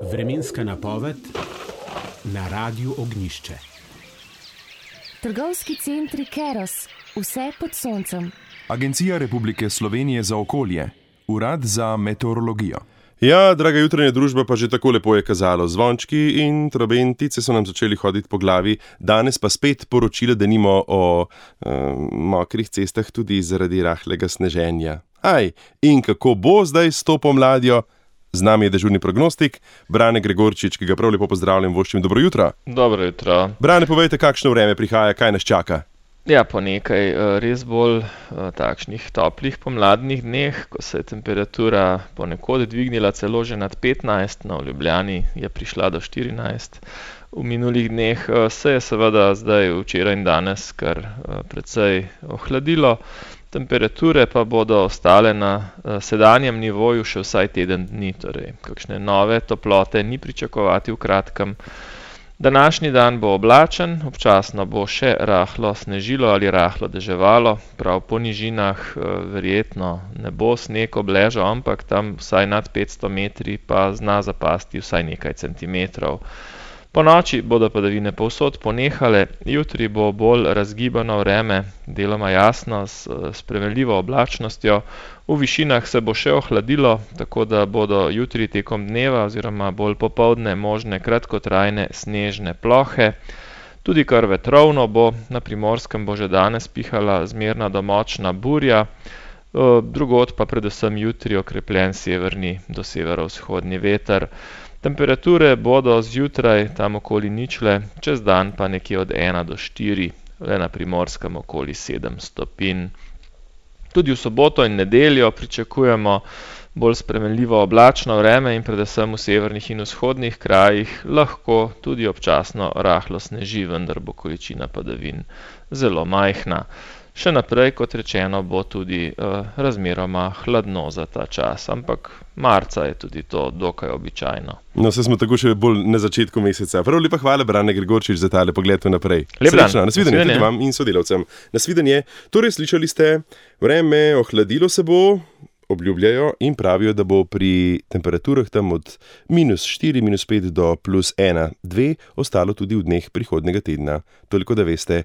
Vremenska napoved na Radiu Ognjišče. Trgovski centri Keros, vse pod soncem. Agencija Republike Slovenije za okolje, Urad za meteorologijo. Ja, draga jutranja družba, pa že tako lepo je kazalo. Zvončki in trobentice so nam začeli hoditi po glavi, danes pa spet poročila, da nimo o mokrih cestah tudi zaradi rahlega sneženja. In kako bo zdaj s to pomladjo? Z nami je dežurni prognostik, Brane Gregorčič, ki ga prav lepo pozdravljam, voščim dobro jutro. Dobro jutro. Brane, povejte, kakšno vreme prihaja, kaj nas čaka? Ja, po nekaj res bolj takšnih toplih pomladnih dneh, ko se je temperatura ponekod dvignila celo že nad 15, v Ljubljani je prišla do 14. V minulih dneh se je seveda zdaj včeraj in danes kar precej ohladilo. Temperature pa bodo ostale na sedanjem nivoju še vsaj teden dni, torej kakšne nove toplote ni pričakovati v kratkem. Današnji dan bo oblačen, občasno bo še rahlo snežilo ali rahlo deževalo, prav po nižinah verjetno ne bo sneg obležal, ampak tam vsaj nad 500 metri pa zna zapasti vsaj nekaj centimetrov. Po noči bodo padavine povsod ponehale, jutri bo bolj razgibano vreme, deloma jasno s spremenljivo oblačnostjo. V višinah se bo še ohladilo, tako da bodo jutri tekom dneva oziroma bolj popoldne možne kratkotrajne snežne plohe. Tudi kar vetrovno bo, na Primorskem bo že danes pihala zmerna do močna burja, drugod pa predvsem jutri okrepljen severni do severovzhodni veter. Temperature bodo zjutraj tam okoli ničle, čez dan pa nekje od 1 do 4, le na Primorskem okoli 7 stopinj. Tudi v soboto in nedeljo pričakujemo bolj spremenljivo oblačno vreme in predvsem v severnih in vzhodnih krajih lahko tudi občasno rahlo sneži, vendar bo količina padavin zelo majhna. Še naprej, kot rečeno, bo tudi razmeroma hladno za ta čas, ampak marca je tudi to dokaj običajno. No, se smo tako še bolj na začetku meseca. Prav lepa hvala, Brane Gregorčič, za tale pogled vnaprej. Lep dan. Srečno, nasvidenje tudi vam in sodelavcem. Nasvidenje. Torej, slišali ste, vreme ohladilo se bo, obljubljajo in pravijo, da bo pri temperaturah tam od -4, -5 do +1, -2 ostalo tudi v dneh prihodnega tedna. Toliko, da veste,